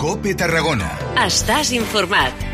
COPE Tarragona. Estàs informat.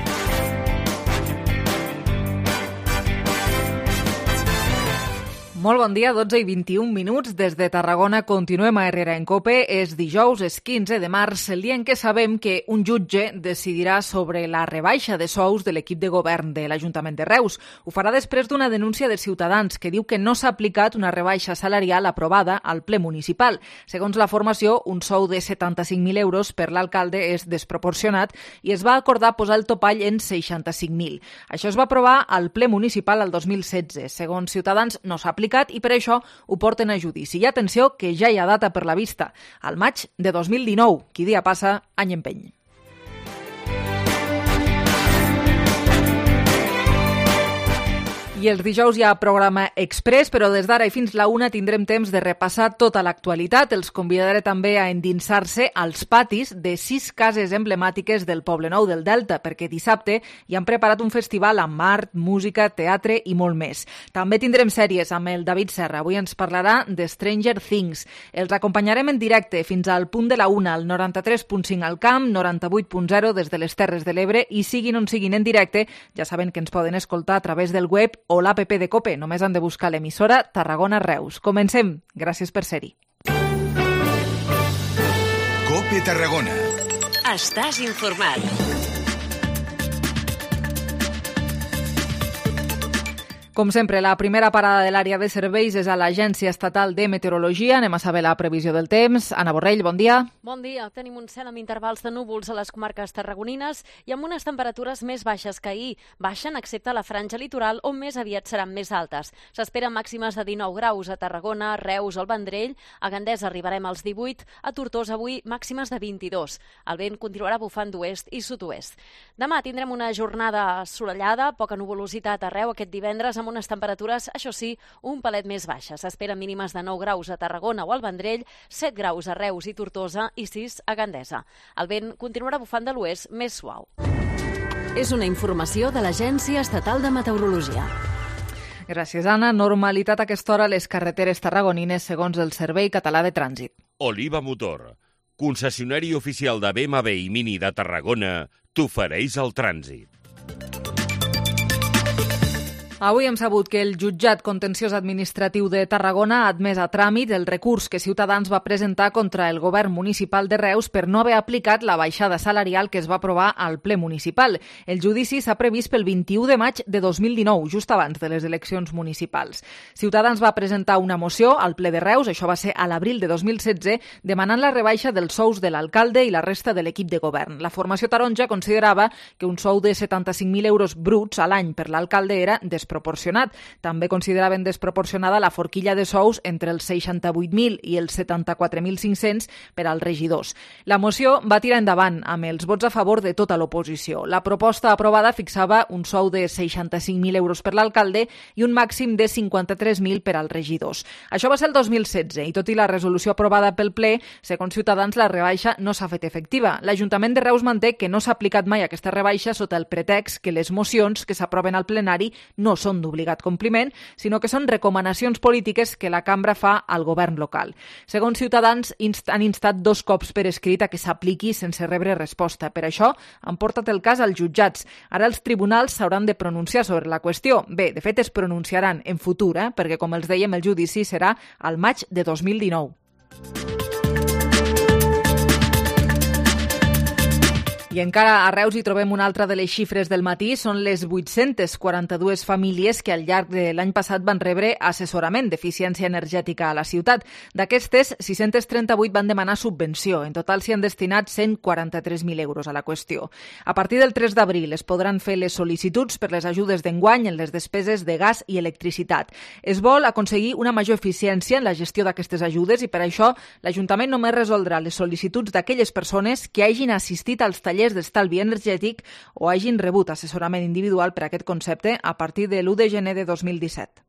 Molt bon dia, 12 i 21 minuts. Des de Tarragona continuem a Herrera en COPE. És dijous, és 15 de març, el dia en què sabem que un jutge decidirà sobre la rebaixa de sous de l'equip de govern de l'Ajuntament de Reus. Ho farà després d'una denúncia de Ciutadans que diu que no s'ha aplicat una rebaixa salarial aprovada al ple municipal. Segons la formació, un sou de 75.000 euros per l'alcalde és desproporcionat i es va acordar posar el topall en 65.000. Això es va aprovar al ple municipal el 2016. Segons Ciutadans, no s'ha aplicat i per això ho porten a judici. I atenció, que ja hi ha data per la vista, al maig de 2019. Qui dia passa, any empeny. I els dijous hi ha programa express, però des d'ara i fins la 1 tindrem temps de repassar tota l'actualitat. Els convidaré també a endinsar-se als patis de 6 cases emblemàtiques del Poblenou del Delta, perquè dissabte hi han preparat un festival amb art, música, teatre i molt més. També tindrem sèries amb el David Serra. Avui ens parlarà de Stranger Things. Els acompanyarem en directe fins al punt de la 1, al 93.5 al Camp, 98.0 des de les Terres de l'Ebre, i siguin on siguin en directe, ja saben que ens poden escoltar a través del web o l'app de COPE. Només han de buscar l'emissora Tarragona Reus. Comencem. Gràcies per ser-hi. COPE Tarragona. Estàs informat. Com sempre, la primera parada de l'àrea de serveis és a l'Agència Estatal de Meteorologia. Anem a saber la previsió del temps. Anna Borrell, bon dia. Bon dia. Tenim un cel amb intervals de núvols a les comarques tarragonines i amb unes temperatures més baixes que ahir. Baixen excepte a la franja litoral, on més aviat seran més altes. S'esperen màximes de 19 graus a Tarragona, Reus o el Vendrell. A Gandesa arribarem als 18. A Tortosa avui màximes de 22. El vent continuarà bufant d'oest i sud-oest. Demà tindrem una jornada assolellada, poca nuvolositat arreu aquest divendres, amb unes temperatures, això sí, un palet més baixes. S'esperen mínimes de 9 graus a Tarragona o al Vendrell, 7 graus a Reus i Tortosa i 6 a Gandesa. El vent continuarà bufant de l'oest més suau. És una informació de l'Agència Estatal de Meteorologia. Gràcies, Anna. Normalitat a aquesta hora a les carreteres tarragonines segons el Servei Català de Trànsit. Oliva Motor, concessionari oficial de BMW i Mini de Tarragona, t'ofereix el trànsit. Avui hem sabut que el jutjat contenciós administratiu de Tarragona ha admès a tràmit el recurs que Ciutadans va presentar contra el govern municipal de Reus per no haver aplicat la baixada salarial que es va aprovar al ple municipal. El judici s'ha previst pel 21 de maig de 2019, just abans de les eleccions municipals. Ciutadans va presentar una moció al ple de Reus, això va ser a l'abril de 2016, demanant la rebaixa dels sous de l'alcalde i la resta de l'equip de govern. La formació taronja considerava que un sou de 75.000 euros bruts a l'any per l'alcalde era desproporcionat. També consideraven desproporcionada la forquilla de sous entre els 68.000 i els 74.500 per als regidors. La moció va tirar endavant amb els vots a favor de tota l'oposició. La proposta aprovada fixava un sou de 65.000 euros per l'alcalde i un màxim de 53.000 per als regidors. Això va ser el 2016 i tot i la resolució aprovada pel ple, segons Ciutadans, la rebaixa no s'ha fet efectiva. L'Ajuntament de Reus manté que no s'ha aplicat mai aquesta rebaixa sota el pretext que les mocions que s'aproven al plenari no són d'obligat compliment, sinó que són recomanacions polítiques que la cambra fa al govern local. Segons Ciutadans, han instat 2 cops per escrit a que s'apliqui sense rebre resposta. Per això, han portat el cas als jutjats. Ara els tribunals s'hauran de pronunciar sobre la qüestió. Bé, de fet, es pronunciaran en futur, perquè, com els dèiem, el judici serà al maig de 2019. I encara a Reus hi trobem una altra de les xifres del matí. Són les 842 famílies que al llarg de l'any passat van rebre assessorament d'eficiència energètica a la ciutat. D'aquestes, 638 van demanar subvenció. En total s'hi han destinat 143.000 euros a la qüestió. A partir del 3 d'abril es podran fer les sol·licituds per les ajudes d'enguany en les despeses de gas i electricitat. Es vol aconseguir una major eficiència en la gestió d'aquestes ajudes i per això l'Ajuntament només resoldrà les sol·licituds d'aquelles persones que hagin assistit als tallers d'estalvi energètic o hagin rebut assessorament individual per a aquest concepte a partir de l'1 de gener de 2017.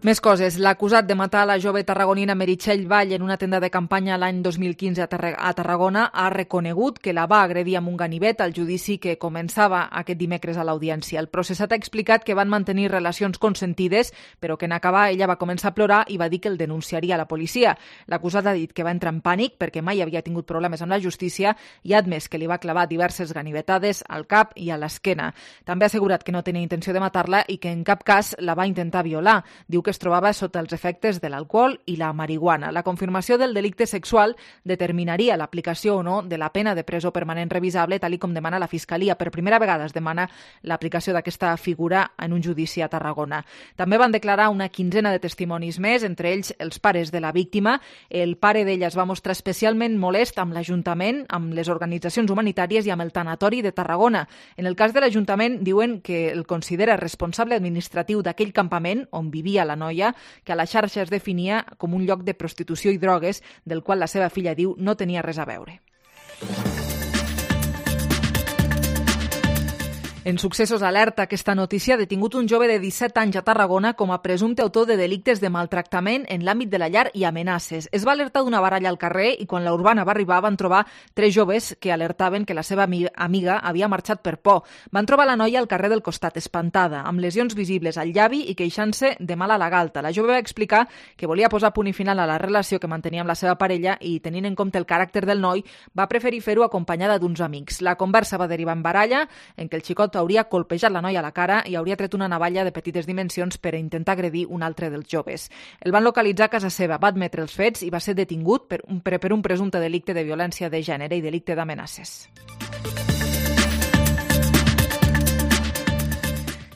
Més coses. L'acusat de matar la jove tarragonina Meritxell Vall en una tenda de campanya l'any 2015 a Tarragona ha reconegut que la va agredir amb un ganivet al judici que començava aquest dimecres a l'audiència. El processat ha explicat que van mantenir relacions consentides, però que en acabar ella va començar a plorar i va dir que el denunciaria a la policia. L'acusat ha dit que va entrar en pànic perquè mai havia tingut problemes amb la justícia i ha admès que li va clavar diverses ganivetades al cap i a l'esquena. També ha assegurat que no tenia intenció de matar-la i que en cap cas la va intentar violar. Diu que es trobava sota els efectes de l'alcohol i la marihuana. La confirmació del delicte sexual determinaria l'aplicació o no de la pena de presó permanent revisable, tal com demana la Fiscalia. Per primera vegada es demana l'aplicació d'aquesta figura en un judici a Tarragona. També van declarar una quinzena de testimonis més, entre ells els pares de la víctima. El pare d'ella es va mostrar especialment molest amb l'Ajuntament, amb les organitzacions humanitàries i amb el tanatori de Tarragona. En el cas de l'Ajuntament, diuen que el considera responsable administratiu d'aquell campament on vivia la noia, que a la xarxa es definia com un lloc de prostitució i drogues, del qual la seva filla diu no tenia res a veure. En Successos alerta aquesta notícia, ha detingut un jove de 17 anys a Tarragona com a presumpte autor de delictes de maltractament en l'àmbit de la llar i amenaces. Es va alertar d'una baralla al carrer i quan la Urbana va arribar van trobar 3 joves que alertaven que la seva amiga havia marxat per por. Van trobar la noia al carrer del costat, espantada, amb lesions visibles al llavi i queixant-se de mal a la galta. La jove va explicar que volia posar punt i final a la relació que mantenia amb la seva parella i, tenint en compte el caràcter del noi, va preferir fer-ho acompanyada d'uns amics. La conversa va derivar en baralla, en què el xicot hauria colpejat la noia a la cara i hauria tret una navalla de petites dimensions per intentar agredir un altre dels joves. El van localitzar a casa seva, va admetre els fets i va ser detingut per un presumpte delicte de violència de gènere i delicte d'amenaces.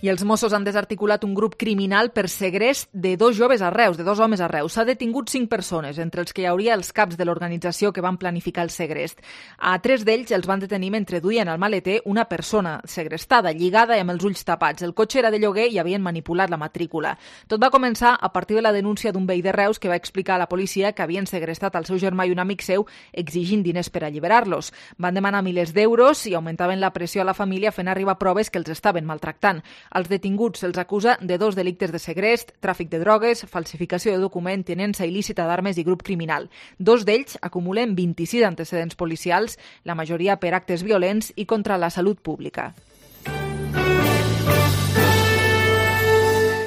I els Mossos han desarticulat un grup criminal per segrest de 2 joves a Reus, de 2 homes a Reus. S'ha detingut 5 persones, entre els que hi hauria els caps de l'organització que van planificar el segrest. A 3 d'ells els van detenir mentre duien al maleter una persona segrestada, lligada i amb els ulls tapats. El cotxe era de lloguer i havien manipulat la matrícula. Tot va començar a partir de la denúncia d'un veí de Reus que va explicar a la policia que havien segrestat el seu germà i un amic seu exigint diners per alliberar-los. Van demanar milers d'euros i augmentaven la pressió a la família fent arribar proves que els estaven maltractant. Als detinguts se'ls acusa de 2 delictes de segrest, tràfic de drogues, falsificació de document, tinença il·lícita d'armes i grup criminal. 2 d'ells acumulen 26 antecedents policials, la majoria per actes violents i contra la salut pública.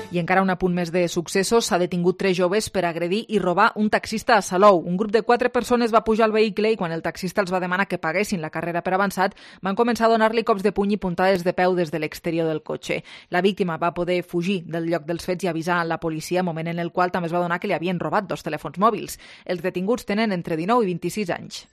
I encara un apunt més de Successos, s'ha detingut 3 joves per agredir i robar un taxista a Salou. Un grup de 4 persones va pujar al vehicle i quan el taxista els va demanar que paguessin la carrera per avançat, van començar a donar-li cops de puny i puntades de peu des de l'exterior del cotxe. La víctima va poder fugir del lloc dels fets i avisar la policia, moment en el qual també es va donar que li havien robat 2 telèfons mòbils. Els detinguts tenen entre 19 i 26 anys.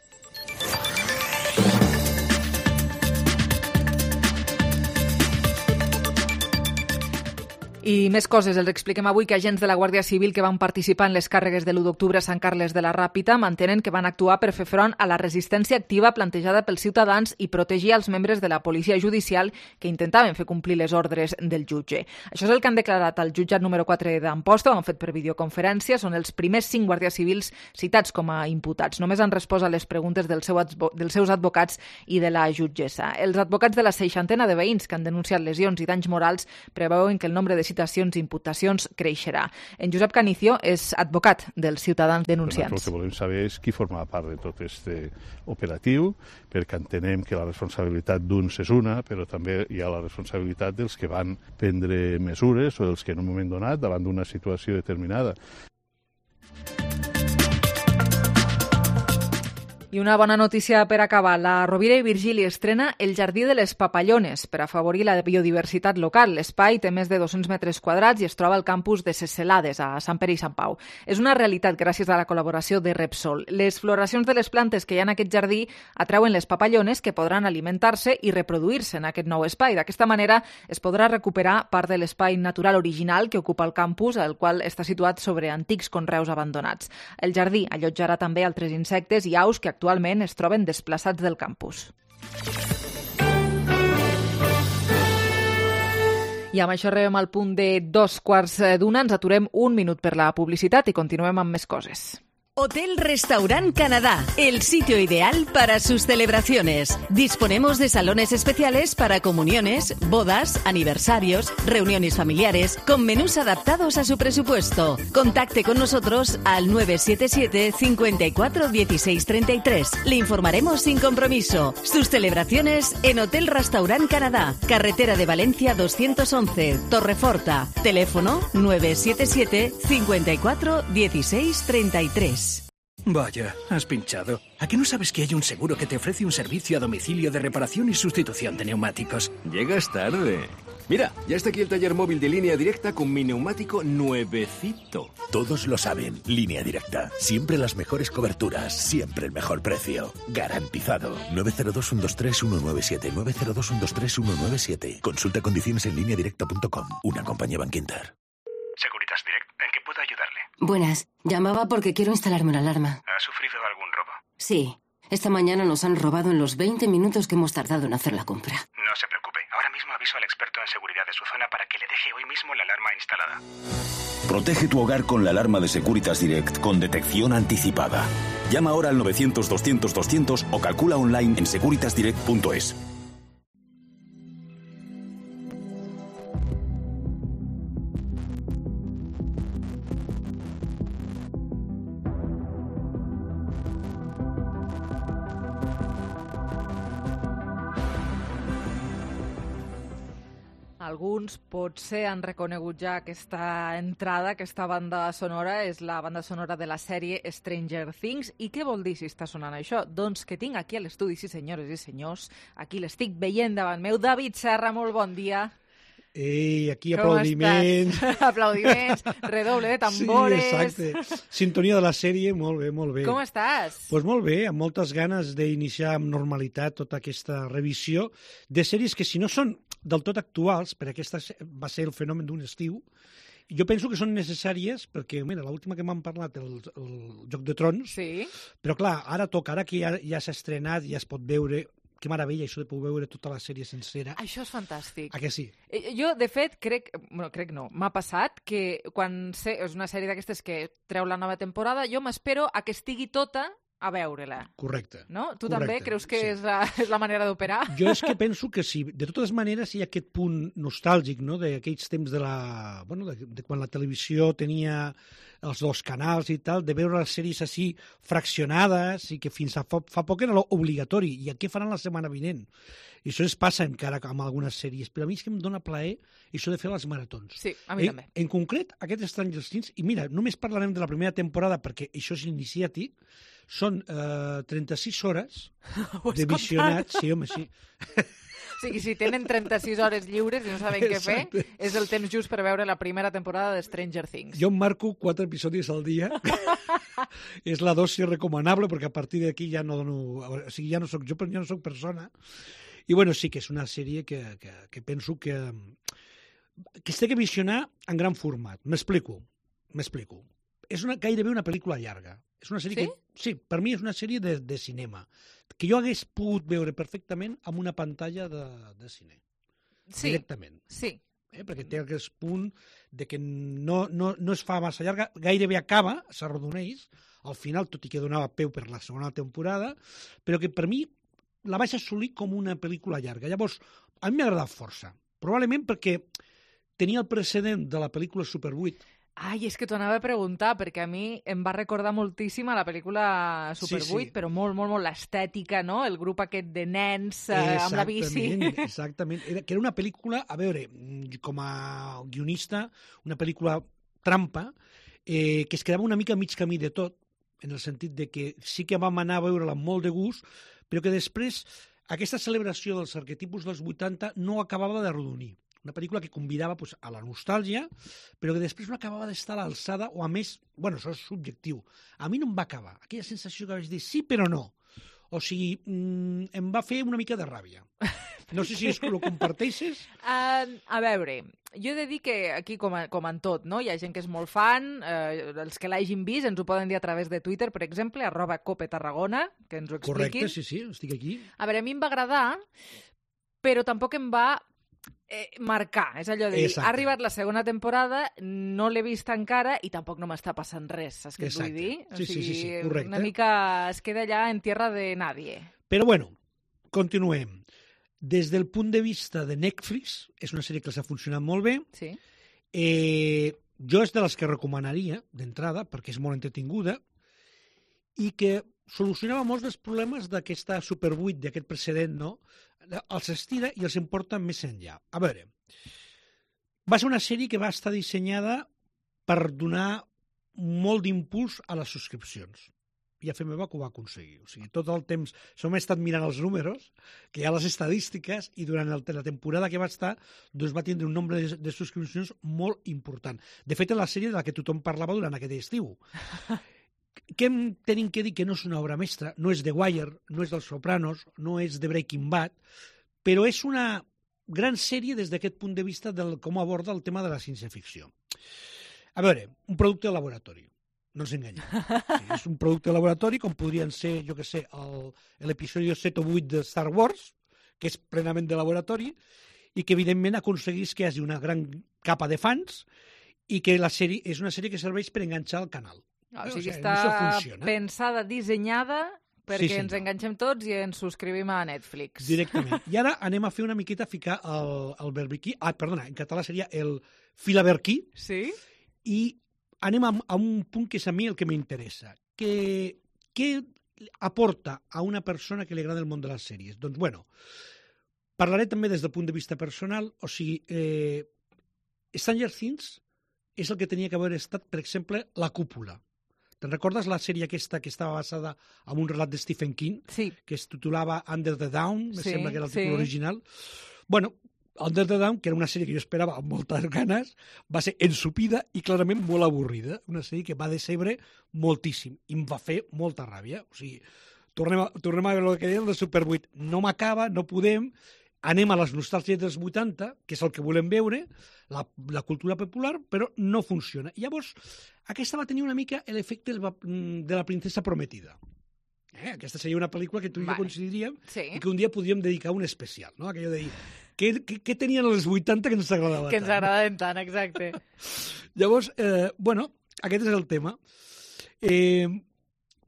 I més coses. Els expliquem avui que agents de la Guàrdia Civil que van participar en les càrregues de l'1 d'octubre a Sant Carles de la Ràpita mantenen que van actuar per fer front a la resistència activa plantejada pels ciutadans i protegir els membres de la policia judicial que intentaven fer complir les ordres del jutge. Això és el que han declarat al jutjat número 4 d'Amposta, ho han fet per videoconferència. Són els primers 5 guàrdies civils citats com a imputats. Només han respost a les preguntes dels seus advocats i de la jutgessa. Els advocats de la 60ena de veïns que han denunciat lesions i danys morals preveuen que el nombre de citacions i imputacions creixerà. En Josep Canicio és advocat dels ciutadans denunciants. El que volem saber és qui forma part de tot aquest operatiu, perquè entenem que la responsabilitat d'uns és una, però també hi ha la responsabilitat dels que van prendre mesures o dels que en un moment donat, davant d'una situació determinada, I una bona notícia per acabar. La Rovira i Virgili estrena el Jardí de les Papallones per afavorir la biodiversitat local. L'espai té més de 200 metres quadrats i es troba al campus de Ses Celades, a Sant Pere i Sant Pau. És una realitat gràcies a la col·laboració de Repsol. Les floracions de les plantes que hi ha en aquest jardí atrauen les papallones que podran alimentar-se i reproduir-se en aquest nou espai. D'aquesta manera es podrà recuperar part de l'espai natural original que ocupa el campus, el qual està situat sobre antics conreus abandonats. El jardí allotjarà també altres insectes i aus que actualment es troben desplaçats del campus. I amb això arribem al punt de 2:15. Ens aturem un minut per la publicitat i continuem amb més coses. Hotel Restaurant Canadá, el sitio ideal para sus celebraciones. Disponemos de salones especiales para comuniones, bodas, aniversarios, reuniones familiares, con menús adaptados a su presupuesto. Contacte con nosotros al 977 54 16 33. Le informaremos sin compromiso. Sus celebraciones en Hotel Restaurant Canadá, carretera de Valencia 211, Torreforta. Teléfono 977 54 16 33. Vaya, has pinchado. ¿A qué no sabes que hay un seguro que te ofrece un servicio a domicilio de reparación y sustitución de neumáticos? Llegas tarde. Mira, ya está aquí el taller móvil de Línea Directa con mi neumático nuevecito. Todos lo saben. Línea Directa. Siempre las mejores coberturas. Siempre el mejor precio. Garantizado. 902-123-197. 902-123-197. Consulta condiciones en lineadirecta.com. Una compañía Bankinter. Securitas Direct, ¿en qué puedo ayudarle? Buenas, llamaba porque quiero instalarme una alarma. ¿Ha sufrido algún robo? Sí, esta mañana nos han robado en los 20 minutos que hemos tardado en hacer la compra. No se preocupe, ahora mismo aviso al experto en seguridad de su zona para que le deje hoy mismo la alarma instalada. Protege tu hogar con la alarma de Securitas Direct con detección anticipada. Llama ahora al 900-200-200 o calcula online en securitasdirect.es. Alguns potser han reconegut ja aquesta entrada, aquesta banda sonora, és la banda sonora de la sèrie Stranger Things. I què vol dir si està sonant això? Doncs que tinc aquí a l'estudi, sí senyores i senyors, aquí l'estic veient davant meu, David Serra, molt bon dia. Ei, aquí aplaudiments. Aplaudiments, redoble de tambores. Sí, exacte. Sintonia de la sèrie, molt bé, molt bé. Com estàs? Doncs molt bé, amb moltes ganes d'iniciar amb normalitat tota aquesta revisió de sèries que si no són del tot actuals, perquè aquesta va ser el fenomen d'un estiu, jo penso que són necessàries perquè, mira, l'última que m'han parlat, el Joc de Trons, sí. Però clar, ara toca, ara que ja s'ha estrenat, ja es pot veure. Que meravella, això de poder veure tota la sèrie sencera. Això és fantàstic. A que sí? Jo, de fet, crec no, m'ha passat que quan és una sèrie d'aquestes que treu la nova temporada, jo m'espero a que estigui tota a veure-la. Correcte. No? Tu correcte, també creus que sí. és la manera d'operar? Jo és que penso que sí. De totes maneres, hi ha aquest punt nostàlgic, no?, d'aquells temps de quan la televisió tenia els dos canals i tal, de veure les sèries així fraccionades i que fins a fa poc era obligatori. I què faran la setmana vinent? I això es passa encara amb algunes sèries, però a mi és que em dóna plaer això de fer les maratons. Sí, a mi també. En concret, aquest Stranger Things, i mira, només parlarem de la primera temporada perquè això és iniciàtic, són 36 hores de visionat. Sí, home, sí. O sigui, si tenen 36 hores lliures i no saben què fer, és el temps just per veure la primera temporada de Stranger Things. Jo em marco 4 episodis al dia. És la dosi recomanable, perquè a partir d'aquí ja no dono... O sigui, ja no soc persona. I bueno, sí que és una sèrie que penso que es té que visionar en gran format. M'explico. És gairebé una pel·lícula llarga. És una sèrie sí, per mi és una sèrie de cinema, que jo hagués pogut veure perfectament amb una pantalla de cine. Sí, directament. Sí. Perquè té aquest punt de que no es fa massa llarga, gairebé acaba, s'arrodoneix, al final, tot i que donava peu per la segona temporada, però que per mi la vaig assolir com una pel·lícula llarga. Llavors, a mi m'ha agradat força. Probablement perquè tenia el precedent de la pel·lícula Super 8. Ai, és que t'ho anava a preguntar, perquè a mi em va recordar moltíssim a la pel·lícula Super 8, però molt l'estètica, no? El grup aquest de nens amb la bici. Exactament. Que era una pel·lícula, a veure, com a guionista, una pel·lícula trampa, que es quedava una mica a mig camí de tot, en el sentit de que sí que vam anar a veure-la amb molt de gust, però que després aquesta celebració dels arquetipus dels 80 no acabava de rodonir. Una pel·lícula que convidava a la nostàlgia, però que després no acabava d'estar a l'alçada, o a més, bueno, això és subjectiu. A mi no em va acabar. Aquella sensació que vaig dir sí, però no. O sigui, em va fer una mica de ràbia. No sé si és que ho comparteixes. A veure, jo he de dir que aquí, com en tot, no? Hi ha gent que és molt fan, els que l'hagin vist ens ho poden dir a través de Twitter, per exemple, @copetarragona, que ens ho expliquin. Correcte, sí, estic aquí. A veure, a mi em va agradar, però tampoc em va marcar, és allò de dir, Exacte. ha arribat la segona temporada, no l'he vist encara i tampoc no m'està passant res, saps què et vull dir? Sí, correcte. Una mica es queda allà en tierra de nadie. Però bueno, continuem. Des del punt de vista de Netflix, és una sèrie que els ha funcionat molt bé. Sí. Jo és de les que recomanaria, d'entrada, perquè és molt entretinguda, i que solucionava molts dels problemes d'aquesta Super 8, d'aquest precedent, no? Els estira i els emporta més enllà. A veure, va ser una sèrie que va estar dissenyada per donar molt d'impuls a les subscripcions. I a fer meva que ho va aconseguir. O sigui, tot el temps som estat mirant els números, que hi ha les estadístiques, i durant la temporada que va estar doncs va tindre un nombre de subscripcions molt important. De fet, és la sèrie de la que tothom parlava durant aquest estiu. Què tenim que dir? Que no és una obra mestra, no és The Wire, no és dels Sopranos, no és The Breaking Bad, però és una gran sèrie des d'aquest punt de vista de com aborda el tema de la ciència-ficció. A veure, un producte de laboratori, no ens enganyem. Sí, és un producte de laboratori com podrien ser, jo què sé, l'episodi 7 o 8 de Star Wars, que és plenament de laboratori, i que evidentment aconseguís que hi hagi una gran capa de fans i que la sèrie és una sèrie que serveix per enganxar el canal. O sigui, està pensada, dissenyada perquè ens enganxem tots i ens subscrivim a Netflix. Directament. I ara anem a fer una miqueta a ficar el verbiquí. Perdona, en català seria el filaberquí. Sí. I anem a un punt que és a mi el que m'interessa. Què aporta a una persona que li agrada el món de les sèries? Doncs, bueno, parlaré també des del punt de vista personal. O sigui, Stranger Things és el que tenia que haver estat, per exemple, La Cúpula. Te'n recordes la sèrie aquesta que estava basada en un relat de Stephen King? Sí. Que es titulava Under the Down, me sembla que era el títol original. Bueno, Under the Down, que era una sèrie que jo esperava amb moltes ganes, va ser ensupida i clarament molt avorrida. Una sèrie que va decebre moltíssim i em va fer molta ràbia. O sigui, tornem a veure el que deien de Super 8. No m'acaba, no podem, anem a les nostàlgies dels 80, que és el que volem veure, la cultura popular, però no funciona. I llavors, aquesta va tenir una mica l'efecte de la princesa prometida. Aquesta seria una pel·lícula que tu i jo coincidiríem i que un dia podríem dedicar un especial, no? Aquello de dir, què tenien els 80 que ens agradava tant? Que ens agradaven tant, exacte. Llavors, bueno, aquest és el tema.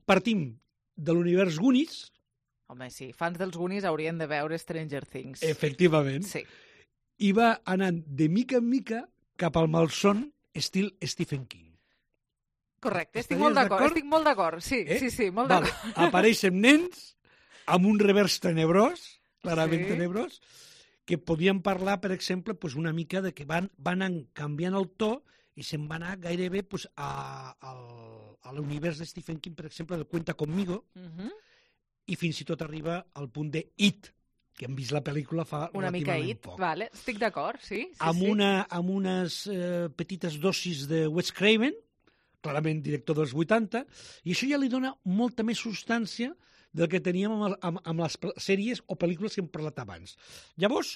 Partim de l'univers Goonies. Home, sí, fans dels Goonies haurien de veure Stranger Things. Efectivament. Sí. I va anant de mica en mica cap al malson estil Stephen King. Correcte, estic molt d'acord. Sí, molt d'acord. Apareixen nens amb un revers tenebrós, clarament tenebrós, que podien parlar, per exemple, una mica de que van canviant el to i se'n va anar gairebé a l'univers de Stephen King, per exemple, del Cuenta Conmigo, i fins i tot arriba al punt de It, que hem vist la pel·lícula fa una mica relativament poc. Vale, estic d'acord, sí. Amb unes petites dosis de Wes Craven, clarament director dels 80, i això ja li dona molta més substància del que teníem amb les sèries o pel·lícules que hem parlat abans. Llavors,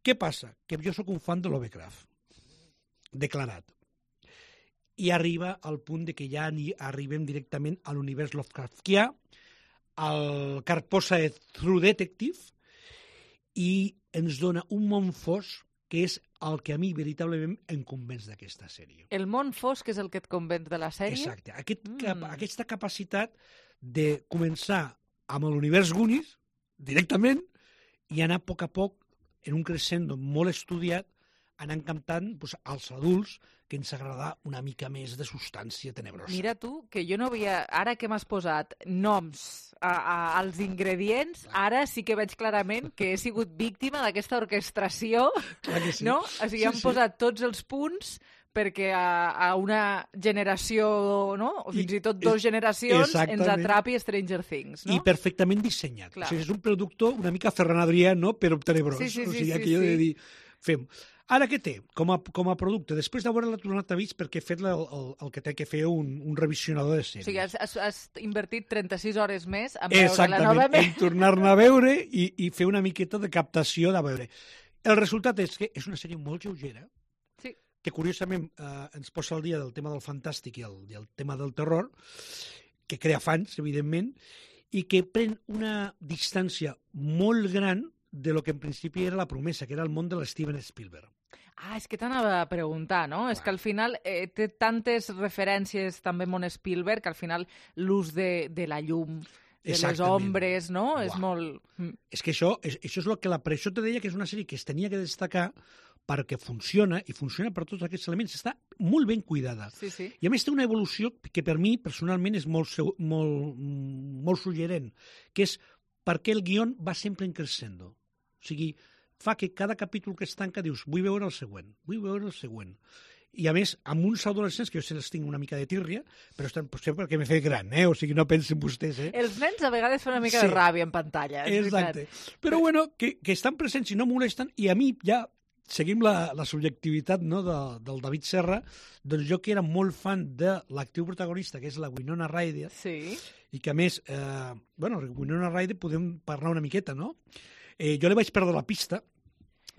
què passa? Que jo sóc un fan de Lovecraft, declarat. I arriba al punt de que ja arribem directament a l'univers Lovecraftià, el Carposa True Detective, i ens dona un món fosc que és el que a mi veritablement em convenç d'aquesta sèrie. El món fosc és el que et convenç de la sèrie? Exacte. Aquesta capacitat de començar amb l'univers Goonies, directament, i anar a poc, en un crescendo molt estudiat, anar encantant als adults que ens agrada una mica més de substància tenebrosa. Mira tu, que jo no havia... Ara que m'has posat noms als ingredients, ara sí que veig clarament que he sigut víctima d'aquesta orquestració, no? O sigui, han posat tots els punts perquè a una generació, no? O fins i tot dues generacions ens atrapi Stranger Things, no? I perfectament dissenyat. O sigui, és un productor una mica Ferran Adrià, no? Però tenebrós. O sigui, aquello de dir, fem... Ara què té com a producte? Després d'haver-la tornat a vist perquè he fet el que té que fer un revisionador de sèries. O sigui, has invertit 36 hores més en veure-la novament. Exactament, en tornar-ne a veure i fer una miqueta de captació de veure. El resultat és que és una sèrie molt lleugera, que curiosament ens posa al dia del tema del fantàstic i el tema del terror, que crea fans, evidentment, i que pren una distància molt gran de lo que en principi era la promesa, que era el món de l'Steven Spielberg. Ah, és que t'anava a preguntar, no? És que al final té tantes referències també món Spielberg que al final l'ús de la llum, de les ombres, no? És molt... És que això és el que per això te deia que és una sèrie que es tenia que destacar perquè funciona, i funciona per tots aquests elements. Està molt ben cuidada. Sí, sí. I a més té una evolució que per mi, personalment, és molt suggerent, que és perquè el guió va sempre en crescendo. O sigui, fa que cada capítol que es tanca dius, vull veure el següent, vull veure el següent. I a més, amb uns adolescents, que jo se les tinc una mica de tírria, però estan sempre perquè m'he fet gran, o sigui, no pensen vostès, Els nens a vegades fan una mica de ràbia en pantalla. Exacte. Però bueno, que estan presents i no molesten, i a mi ja seguim la subjectivitat, no, del David Serra, doncs jo que era molt fan de l'actriu protagonista, que és la Winona Ryder, i que a més, Winona Ryder podem parlar una miqueta, no? Jo li vaig perdre la pista,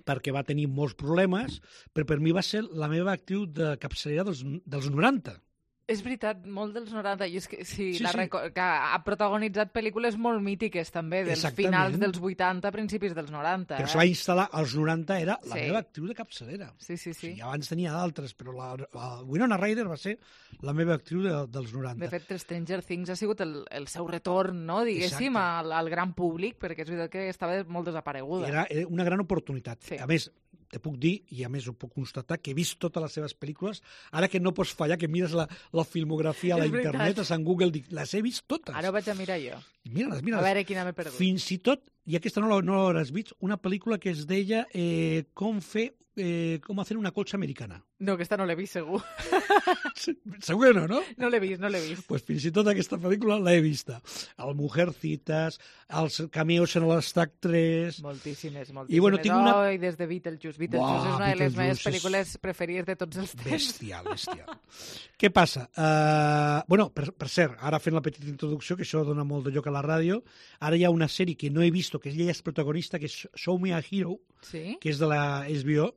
perquè va tenir molts problemes, però per mi va ser la meva actriu de capçalera dels 90. És veritat, molt dels 90. I és que, que ha protagonitzat pel·lícules molt mítiques, també, dels finals dels 80, principis dels 90. Però se va instal·lar als 90, era la meva actriu de capçalera. Sí. I abans tenia d'altres, però la Winona Ryder va ser la meva actriu dels 90. De fet, Stranger Things ha sigut el seu retorn, no, diguéssim, al gran públic, perquè és veritat que estava molt desapareguda. Era una gran oportunitat. A més, te puc dir, i a més ho puc constatar, que he vist totes les seves pel·lícules, ara que no pots fallar, que mires la filmografia a la internet, a Sant Google, dic, les he vist totes. Ara ho vaig a mirar jo. Mira-les. A veure quina m'he perdut. Fins i tot, i aquesta no l'hauràs vist, una pel·lícula que es deia com hacer una colcha americana. No, aquesta no l'he vist, segur. Segur que no? No l'he vist. Pues fins i tot aquesta pel·lícula l'he vista. El Mujercitas, els cameos en l'Stack 3... Moltíssimes. I bueno, tinc una... I des de Beetlejuice. Beetlejuice és una de les meves pel·lícules preferides de tots els temps. Bestial. Què passa? Per cert, ara fent la petita introducció, que això dona molt de lloc a la ràdio, ara hi ha una sèrie que no he vist, que ella és protagonista, que és Show Me a Hero, que és de la HBO,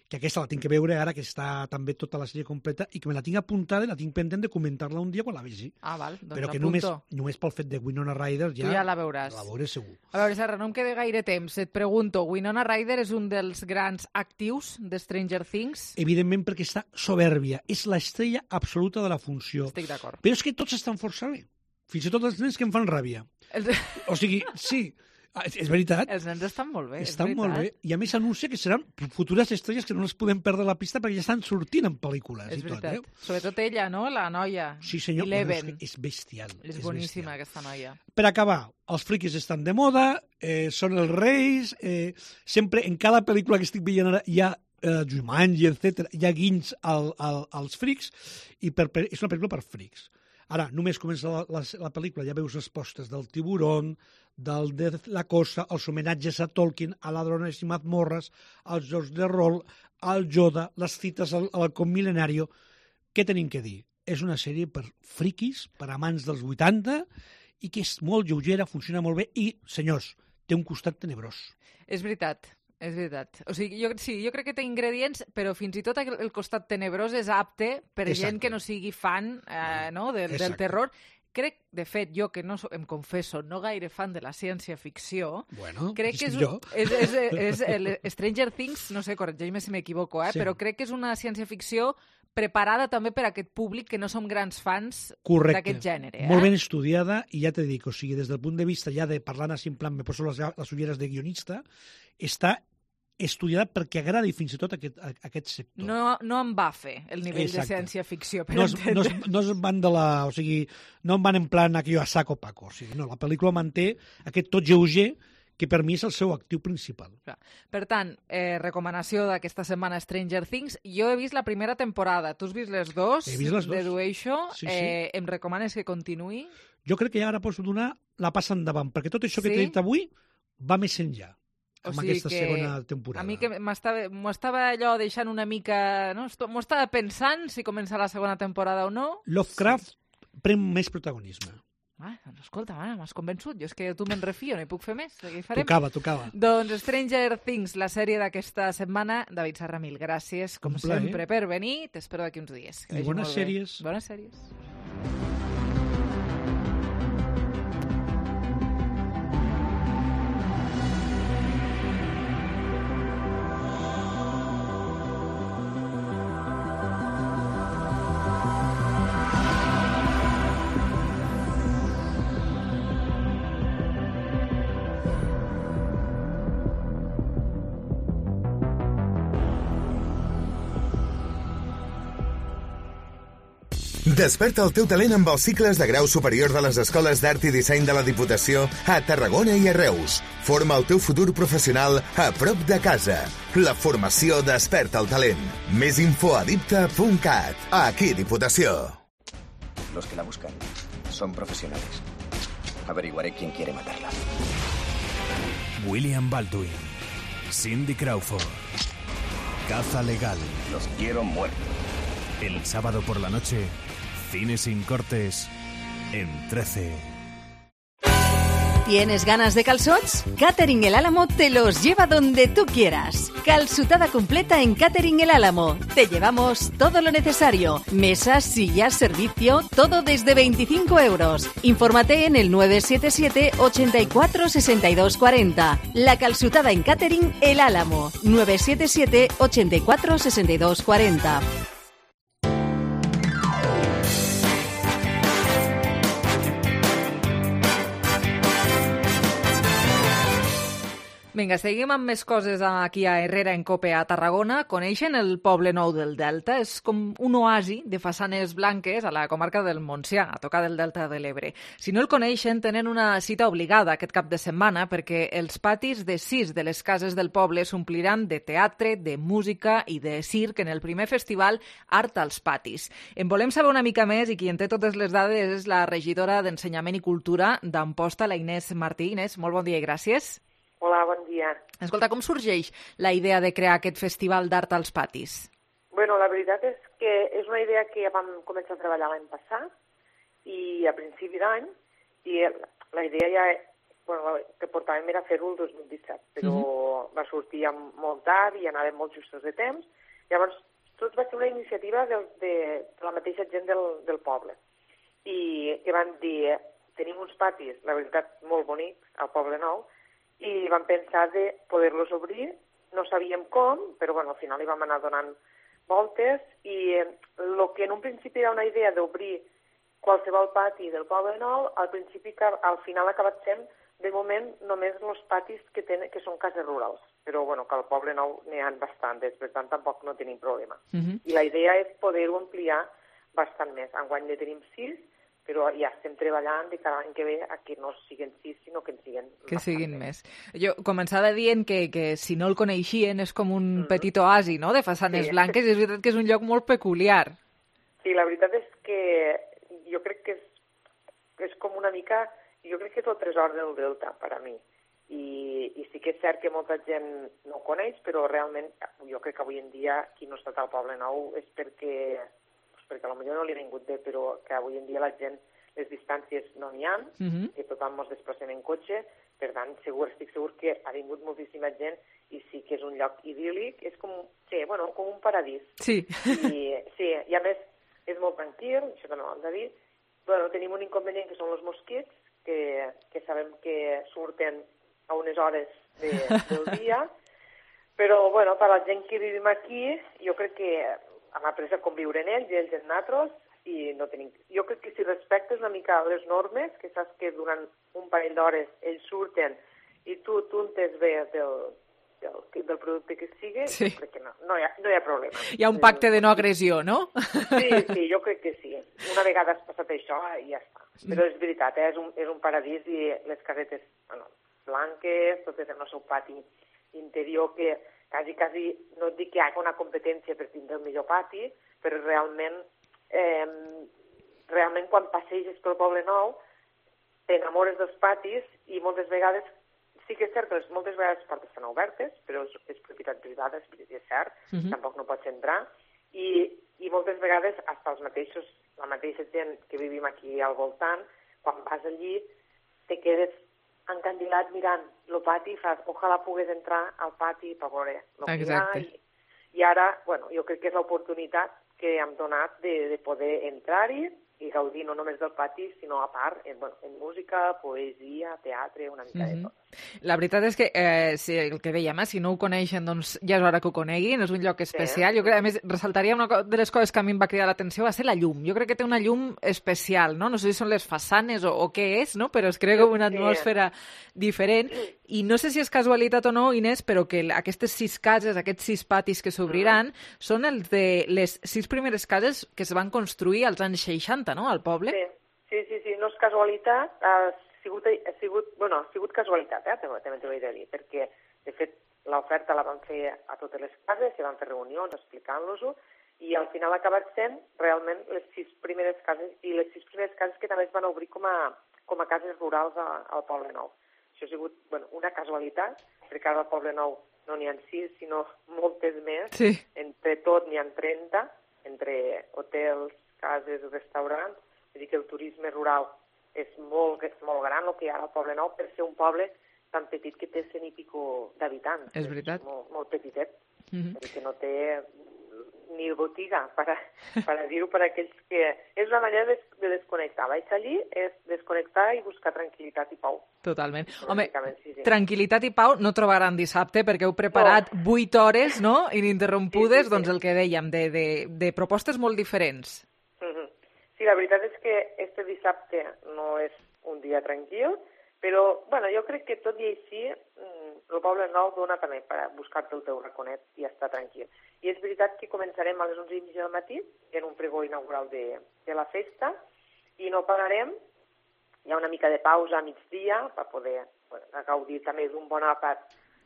que aquesta la tinc que veure ara, que està també tota la sèrie completa, i que me la tinc apuntada i la tinc pendent de comentar-la un dia quan la vegi. Ah, val, doncs però que només pel fet de Winona Ryder ja la veuràs. La veuré segur. A veure, Serra, no em queda gaire temps. Et pregunto, Winona Ryder és un dels grans actius de Stranger Things? Evidentment, perquè està soberbia. És l'estrella absoluta de la funció. Estic d'acord. Però és que tots estan força bé. Fins i tot els nens que em fan ràbia. O sigui, sí... És veritat. Els nens estan molt bé. Estan molt bé. I a més anuncia que seran futures estrelles que no les podem perdre la pista perquè ja estan sortint en pel·lícules. És veritat. Sobretot ella, no? La noia. Sí, senyor. Eleven. És bestial. És boníssima, aquesta noia. Per acabar, els friquis estan de moda, són els reis, sempre en cada pel·lícula que estic veient ara hi ha Jumanji, etc. Hi ha guinys als frics i és una pel·lícula per frics. Ara, només comença la pel·lícula, ja veus les postes del Tiburón, de la Cosa, els homenatges a Tolkien, a Ladrones i Mazmorras, als jocs de rol, al Yoda, les cites al halcón milenario. Què tenim que dir? És una sèrie per friquis, per amants dels 80, i que és molt lleugera, funciona molt bé, i, senyors, té un costat tenebrós. És veritat. És veritat. O sigui, jo crec que té ingredients, però fins i tot el costat tenebrós és apte per gent que no sigui fan del terror. Crec, de fet, jo que no em confesso, no gaire fan de la ciència-ficció, crec que és Stranger Things, no sé, corregeix-me si m'equivoco, però crec que és una ciència-ficció preparada també per a aquest públic que no som grans fans d'aquest gènere. Molt ben estudiada, i ja te dic, o sigui, des del punt de vista ja de parlant així en plan, me poso les ulleres de guionista, està estudiada perquè agradi fins i tot aquest sector. No em va fer el nivell de ciència-ficció, per entendre. No es van o sigui, no en van en plan aquello a saco paco. O sigui, no, la pel·lícula manté aquest tot lleuger que per mi és el seu actiu principal. Per tant, recomanació d'aquesta setmana Stranger Things. Jo he vist la primera temporada. Tu has vist les dues? He vist les dues. Dedueixo. Em recomanes que continuï? Jo crec que ja ara pots donar la passa endavant, perquè tot això que t'he dit avui va més enllà. Amb aquesta segona temporada. A mi que m'ho estava allò deixant una mica... No? M'ho estava pensant si comença la segona temporada o no. Lovecraft pren més protagonisme. Doncs escolta, m'has convençut. Jo és que tu me'n refio, no hi puc fer més. Tocava. Doncs Stranger Things, la sèrie d'aquesta setmana. David Serra, mil gràcies, com sempre, per venir. T'espero d'aquí uns dies. I bones sèries. Bones sèries. Desperta el teu talent amb els cicles de grau superior de les Escoles d'Art i Disseny de la Diputació a Tarragona i a Reus. Forma el teu futur professional a prop de casa. La formació Desperta el talent. Més info a dipta.cat. Aquí, Diputació. Los que la buscan son profesionales. Averiguaré quién quiere matarla. William Baldwin, Cindy Crawford, Caza Legal. Los quiero muertos. El sábado por la noche, Cine sin cortes en 13. ¿Tienes ganas de calzots? Catering El Álamo te los lleva donde tú quieras. Calzutada completa en Catering El Álamo. Te llevamos todo lo necesario. Mesas, sillas, servicio, todo desde 25 euros. Infórmate en el 977 84 62 40. La calzutada en Catering El Álamo. 977 84 62 40. Vinga, seguim amb més coses aquí a Herrera en Cope a Tarragona. Coneixen el Poble Nou del Delta? És com un oasi de façanes blanques a la comarca del Montsià, a tocar del Delta de l'Ebre. Si no el coneixen, tenen una cita obligada aquest cap de setmana perquè els patis de 6 de les cases del poble s'ompliran de teatre, de música i de circ en el primer festival Art als Patis. En volem saber una mica més i qui en té totes les dades és la regidora d'Ensenyament i Cultura d'Amposta, la Inés Martí. Inés, molt bon dia i gràcies. Hola, bon dia. Escolta, com sorgeix la idea de crear aquest festival d'art als patis? Bueno, la veritat és que és una idea que vam començar a treballar l'any passat i a principi d'any, i la idea ja que portàvem era fer-ho el 2017, però va sortir molt tard i anàvem molt justos de temps. Llavors, tot va ser una iniciativa de la mateixa gent del poble i que van dir, tenim uns patis, la veritat, molt bonics al Poble Nou, i vam pensar de poder-los obrir, no sabíem com, però bueno, al final hi vam anar donant voltes i el que en un principi era una idea d'obrir qualsevol pati del Poble Nou, al final ha acabat sent, de moment, només els patis que són cases rurals, però bueno, que al Poble Nou n'hi ha bastantes, per tant tampoc no tenim problema. I la idea és poder-ho ampliar bastant més. Enguany ne tenim 6, però ja estem treballant de cada any que ve a que no siguin 6, sinó que en siguin més. Jo començava dient que si no el coneixien és com un petit oasi, no?, de façanes blanques, i és veritat que és un lloc molt peculiar. Sí, la veritat és que jo crec que és com una mica, jo crec que és el tresor del Delta, per a mi. I sí que és cert que molta gent no ho coneix, però realment jo crec que avui en dia qui no ha estat al Poble Nou és perquè potser no li ha vingut bé, però que avui en dia la gent, les distàncies no n'hi ha, que tothom ens desplacem en cotxe, per tant, estic segur que ha vingut moltíssima gent i sí que és un lloc idíl·lic, és com un paradís. Sí. I a més és molt tranquil, això també ho hem de dir. Bueno, tenim un inconvenient que són els mosquits, que sabem que surten a unes hores del dia, però bueno, per a la gent que vivim aquí, jo crec que hem après a conviure en ells i ells en nosaltres, i no tenim... Jo crec que si respectes una mica les normes, que saps que durant un parell d'hores ells surten i tu untes bé del producte que sigui, jo crec que no hi ha problema. Hi ha un pacte de no agressió, no? Sí, jo crec que sí. Una vegada has passat això i ja està. Però és veritat, és un paradís i les casetes blanques, totes en el seu pati interior, que quasi, no et dic que hi hagi una competència per tindre el millor pati, però realment quan passeges pel Poble Nou t'enamores dels patis i moltes vegades, sí que és cert que moltes vegades les portes estan obertes, però és propietat privada, és cert, tampoc no pots entrar, i moltes vegades la mateixa gent que vivim aquí al voltant, quan vas allí te quedes encandilat mirant el pati i fas, ojalà pogués entrar al pati per veure el que hi ha. I ara, jo crec que és l'oportunitat que hem donat de poder entrar-hi i gaudir no només del pati, sinó a part en música, poesia, teatre, una mica de tot. La veritat és que, el que dèiem, si no ho coneixen, doncs ja és hora que ho coneguin, és un lloc especial. Jo crec, a més, ressaltaria una de les coses que a mi em va cridar l'atenció va ser la llum. Jo crec que té una llum especial, no? No sé si són les façanes o què és, no? Però es crea com una atmosfera diferent. I no sé si és casualitat o no, Inés, però que aquestes 6 cases, aquests 6 patis que s'obriran, són els de les 6 primeres cases que es van construir als anys 60, no?, al poble. Sí, no és casualitat, ha sigut casualitat, també t'ho he de dir, perquè, de fet, l'oferta la van fer a totes les cases, se van fer reunions explicant-los-ho, i al final ha acabat sent realment les 6 primeres cases, i les 6 primeres cases que també es van obrir com a cases rurals al Poble Nou. Això ha sigut una casualitat, perquè ara al Poble Nou no n'hi ha 6, sinó moltes més. Sí. Entre tot n'hi ha 30, entre hotels, cases, restaurants. Vull dir que el turisme rural és molt gran, el que hi ha al Poble Nou, per ser un poble tan petit que té 100 i pico d'habitants. És veritat. Molt petitet, perquè no té ni botiga, per dir-ho per aquells que... És una manera de desconnectar. Vaig allí, és desconnectar i buscar tranquil·litat i pau. Totalment. Home, tranquil·litat i pau no trobaran dissabte, perquè heu preparat 8 hores, no?, ininterrompudes, doncs el que dèiem, de propostes molt diferents. Sí, la veritat és que este dissabte no és un dia tranquil, però, jo crec que tot i així el Poble Nou dona també per buscar-te el teu raconet i estar tranquil. I és veritat que començarem a les 11:30 del matí, en un pregó inaugural de la festa, i no pararem. Hi ha una mica de pausa a migdia per poder gaudir també d'un bon àpat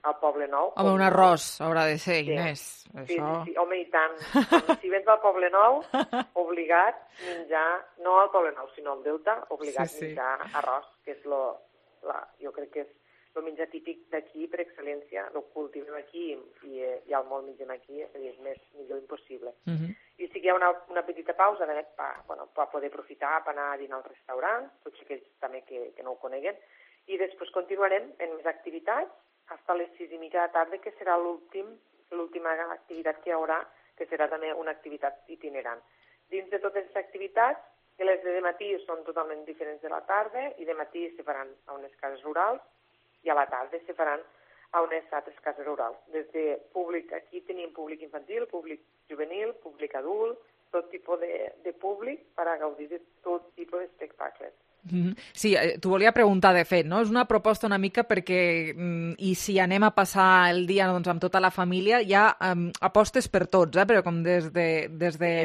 al Poble Nou. Home, un arròs haurà de ser, Inés. Sí, home, i tant. Si vens al Poble Nou, obligat menjar, no al Poble Nou, sinó al Delta, obligat menjar arròs, que és jo crec que és el menjar típic d'aquí per excel·lència, el cultivem aquí i al món mengem aquí, és a dir, és millor impossible. I sí que hi ha una petita pausa per poder aprofitar per anar a dinar al restaurant, tots aquells també que no ho coneguen, i després continuarem en més activitats fins a les 6:30 de la tarda, que serà l'última activitat que hi haurà, que serà també una activitat itinerant. Dins de totes les activitats, que les de matí són totalment diferents de la tarda, i de matí se faran a unes cases rurals, i a la tarda se faran a unes altres cases rurals. Des de públic, aquí tenim públic infantil, públic juvenil, públic adult, tot tipus de públic per a gaudir de tot tipus d'espectacles. Sí, t'ho volia preguntar, de fet, no? És una proposta una mica perquè, i si anem a passar el dia amb tota la família, hi ha apostes per tots, però com des de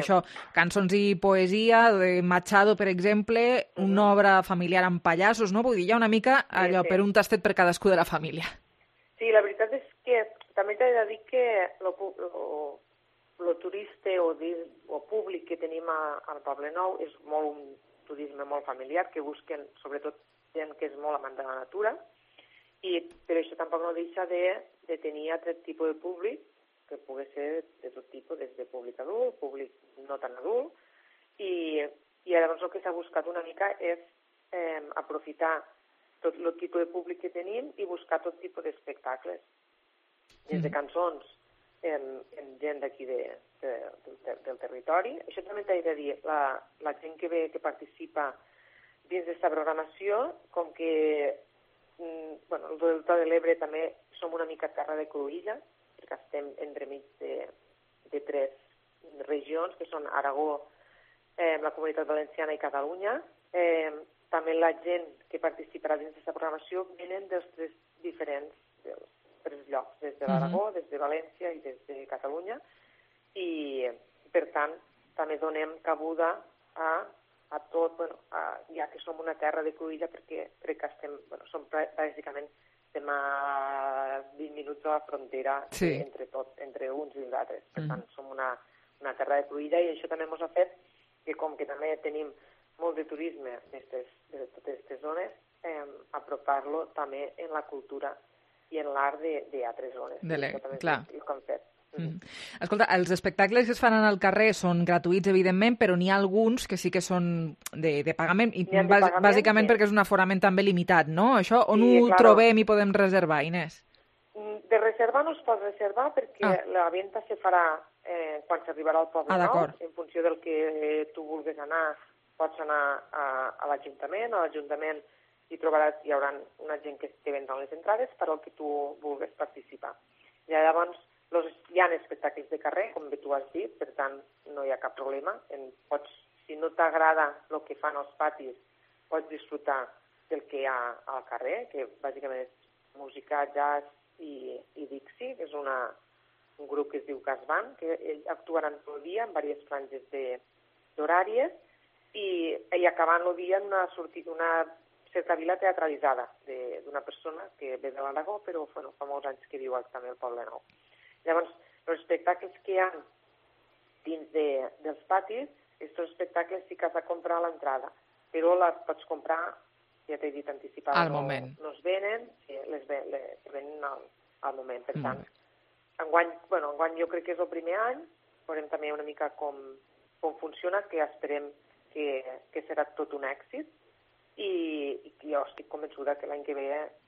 això, cançons i poesia, de Machado, per exemple, una obra familiar amb pallassos, no? Vull dir, hi ha una mica allò per un tastet per cadascú de la família. Sí, la veritat és que també t'he de dir que el turista o públic que tenim al Poble Nou és molt un turisme molt familiar, que busquen sobretot gent que és molt amant de la natura, i per això tampoc no deixa de tenir altre tipus de públic, que pugui ser de tot tipus, des de públic adult, públic no tan adult, i llavors el que s'ha buscat una mica és aprofitar tot el tipus de públic que tenim i buscar tot tipus d'espectacles, des de cançons, en gent d'aquí del territori. Això també t'he de dir, la gent que participa dins d'aquesta programació, com que el Delta de l'Ebre també som una mica terra de cruïlla, perquè estem entremig de 3 regions, que són Aragó, la Comunitat Valenciana i Catalunya. També la gent que participarà dins d'aquesta programació venen dels 3 diferents llocs, des de l'Aragó, des de València i des de Catalunya, i per tant també donem cabuda a tot, ja que som una terra de cruïlla, perquè som bàsicament estem a 20 minuts de la frontera entre uns i els altres. Per tant, som una terra de cruïlla, i això també ens ha fet que, com que també tenim molt de turisme de totes aquestes zones, apropar-lo també en la cultura i en l'art d'altres zones. Clar. Escolta, els espectacles que es fan al carrer són gratuïts, evidentment, però n'hi ha alguns que sí que són de pagament, i bàsicament perquè és un aforament també limitat, no? Això on ho trobem i podem reservar, Inés? De reservar no es pot reservar, perquè la venda se farà quan s'arribarà al Poble Nou. En funció del que tu vulguis anar, pots anar a l'Ajuntament. A l'Ajuntament hi haurà una gent que te vendrà les entrades per al que tu vulguis participar. I llavors hi ha espectacles de carrer, com tu has dit, per tant no hi ha cap problema. Si no t'agrada el que fan els patis, pots disfrutar del que hi ha al carrer, que bàsicament és música jazz i Dixie, que és un grup que es diu Casban, que actuaran tot el dia en diverses franges d'horàries i acabant el dia en una cercavila teatralitzada d'una persona que ve de l'Aragó, però fa molts anys que viu també al Poble Nou. Llavors, els espectacles que hi ha dins dels patis, aquests espectacles sí que has de comprar a l'entrada, però les pots comprar, ja t'he dit anticipat, no es venen, les venen al moment. Per tant, enguany jo crec que és el primer any, veurem també una mica com funciona, que esperem que serà tot un èxit, i jo estic convençuda que l'any que ve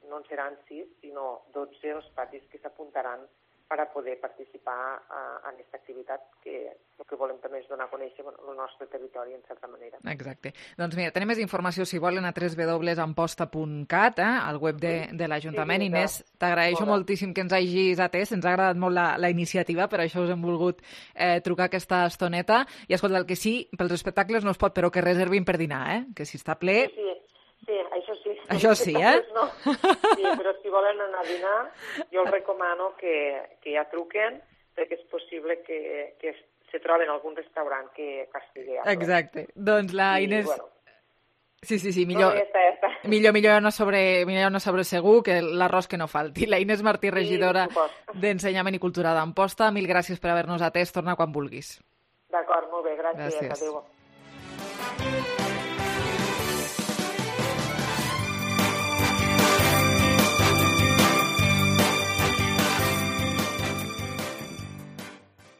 no en seran 6, sinó 12 els patis que s'apuntaran per a poder participar en aquesta activitat, que el que volem també és donar a conèixer el nostre territori, en certa manera. Exacte. Doncs mira, tenim més informació, si volen, a www.amposta.cat, al web de l'Ajuntament. Inés, t'agraeixo moltíssim que ens hagis atès, ens ha agradat molt la iniciativa, per això us hem volgut trucar aquesta estoneta. I escolta, el que sí, pels espectacles no es pot, però que reservin per dinar, que si està ple... Sí, això sí. Això sí, No. Sí, però si volen anar a dinar, jo els recomano que ja truquen, perquè és possible que se troben algun restaurant que estigui a prop. Exacte. Doncs la Inés... Sí, millor, millor anar sobre segur que l'arròs que no falti. La Inés Martí, regidora d'Ensenyament i Cultura d'Amposta, mil gràcies per haver-nos atès. Torna quan vulguis. D'acord, molt bé, gràcies. Adéu.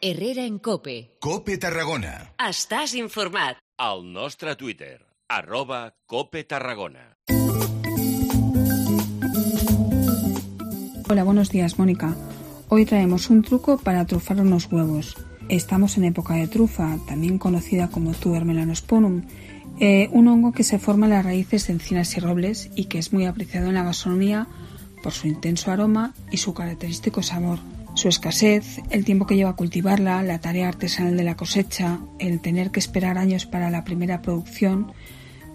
Herrera en COPE. COPE Tarragona. Estàs informat. Al nostre Twitter, @COPE Tarragona. Hola, buenos días, Mónica. Hoy traemos un truco para trufar unos huevos. Estamos en época de trufa, también conocida como tuber melanosporum, un hongo que se forma en las raíces de encinas y robles y que es muy apreciado en la gastronomía por su intenso aroma y su característico sabor. Su escasez, el tiempo que lleva a cultivarla, la tarea artesanal de la cosecha, el tener que esperar años para la primera producción,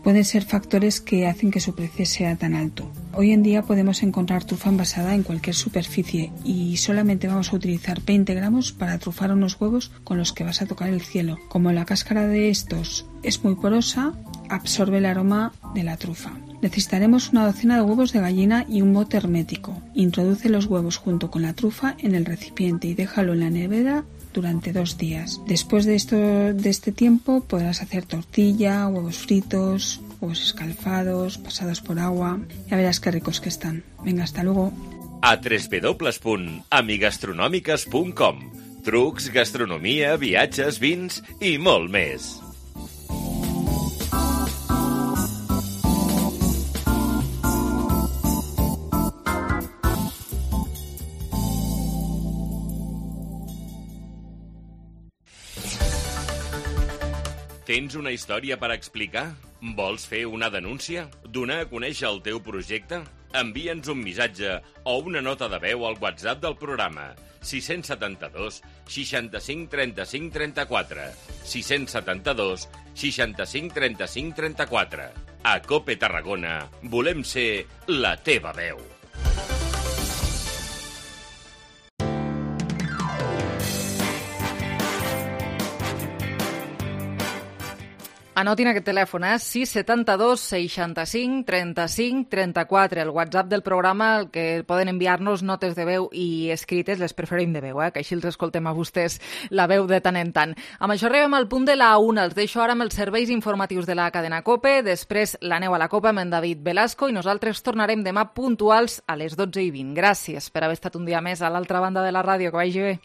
pueden ser factores que hacen que su precio sea tan alto. Hoy en día podemos encontrar trufa envasada en cualquier superficie y solamente vamos a utilizar 20 gramos para trufar unos huevos con los que vas a tocar el cielo. Como la cáscara de estos es muy porosa, absorbe el aroma de la trufa. Necesitaremos una docena de huevos de gallina y un bote hermético. Introduce los huevos junto con la trufa en el recipiente y déjalo en la nevera durante 2 días. Después de este tiempo podrás hacer tortilla, huevos fritos, huevos escalfados, pasados por agua. Ya verás qué ricos que están. Venga, hasta luego. A www.amigastronòmiques.com. Trucs, gastronomia, viatges, vins i molt més. Tens una història per explicar? Vols fer una denúncia? Donar a conèixer el teu projecte? Envia'ns un missatge o una nota de veu al WhatsApp del programa 672 65 35 34 672 65 35 34. A COPE Tarragona volem ser la teva veu. Anotin aquest telèfon, 672 65 35 34, el WhatsApp del programa, el que poden enviar-nos notes de veu i escrites, les preferim de veu, que així els escoltem a vostès la veu de tant en tant. Amb això arribem al punt de la 1, els deixo ara amb els serveis informatius de la cadena COPE, després l'aneu a la COPE amb en David Velasco i nosaltres tornarem demà puntuals a les 12:20. Gràcies per haver estat un dia més a l'altra banda de la ràdio, que vagi bé.